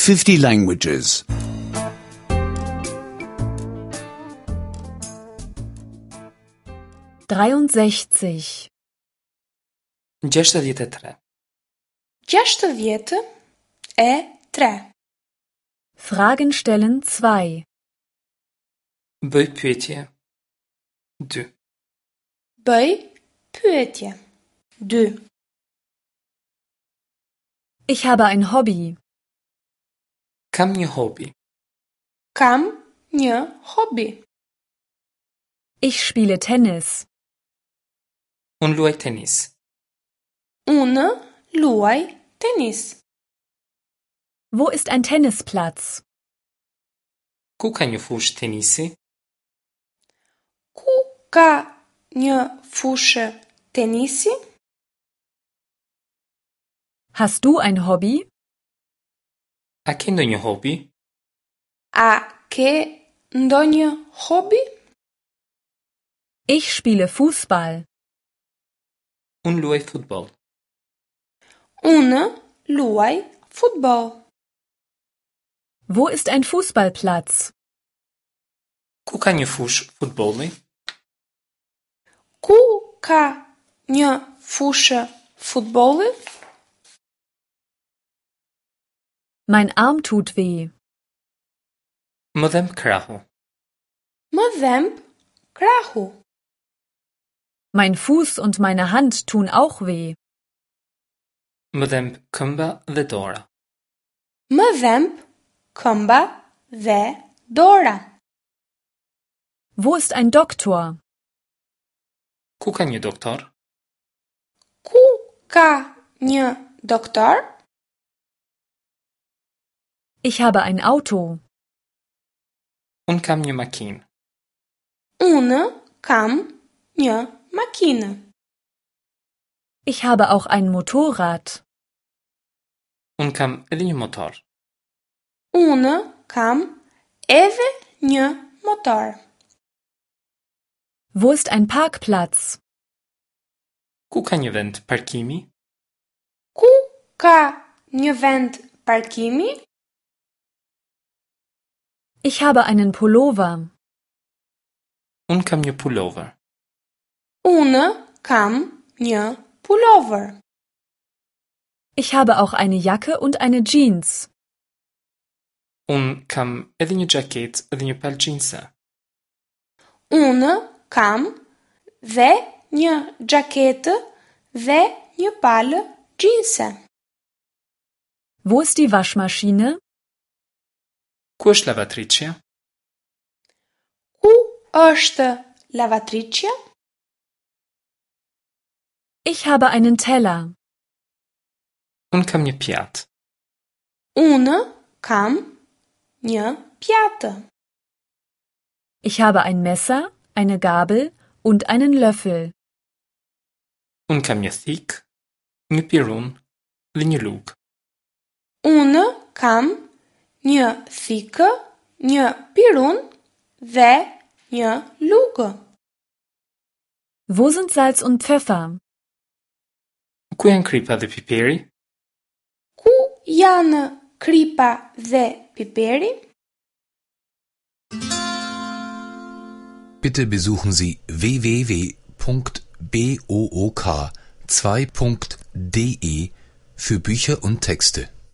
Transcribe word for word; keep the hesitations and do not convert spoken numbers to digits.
fifty languages. dreiundsechzig, gjashtëdhjetë e tre, Gjashtëdhjetë e tre. Fragen stellen zwei. Bëj pyetje. Dy. Bëj pyetje. Dy. Ich habe ein Hobby. Kam një hobi. Kam një hobi. Ich spiele Tennis. Unë luaj tenis. Unë luaj tenis. Wo ist ein Tennisplatz? Ku ka një fushë tenisi? Ku ka një fushë tenisi? Hast du ein Hobby? A ke ndonjë hobi? A ke ndonjë hobi? Ich spiele Fußball. Unë luaj futboll. Unë luaj futboll. Wo ist ein Fußballplatz? Ku ka një fushë futbolli? Ku ka një fushë futbolli? Mein Arm tut weh. Më dhemb krahu. Më dhemb krahu. Mein Fuß und meine Hand tun auch weh. Më dhemb këmba dhe dora. Më dhemb këmba dhe dora. Wo ist ein Doktor? Ku ka një doktor? Ku ka një doktor? Ich habe ein Auto. Unë kam një makinë. Unë kam një makinë. Ich habe auch ein Motorrad. Unë kam edhe një motor. Unë kam edhe një motor. Wo ist ein Parkplatz? Ku ka një vend parkimi? Ku ka një vend parkimi? Ich habe einen Pullover. Unë kam një pullover. Unë kam një pullover. Ich habe auch eine Jacke und eine Jeans. Unë kam edhe një xhaketë dhe një palë xhinse. Unë kam dhe një xhaketë dhe një palë xhinse. Wo ist die Waschmaschine? Ku është lavatriçja? Ku është lavatriçja? Ich habe einen Teller. Unë kam një pjatë. Unë kam një pjatë. Ich habe ein Messer, eine Gabel und einen Löffel. Unë kam një thikë, një pirun dhe një lugë. Unë kam një thikë, një pirun dhe një lugë. Wo sind Salz und Pfeffer? Ku janë kripa dhe piperi? Ku janë kripa dhe piperi? Bitte besuchen Sie w w w punkt b o o k zwei punkt d e für Bücher und Texte.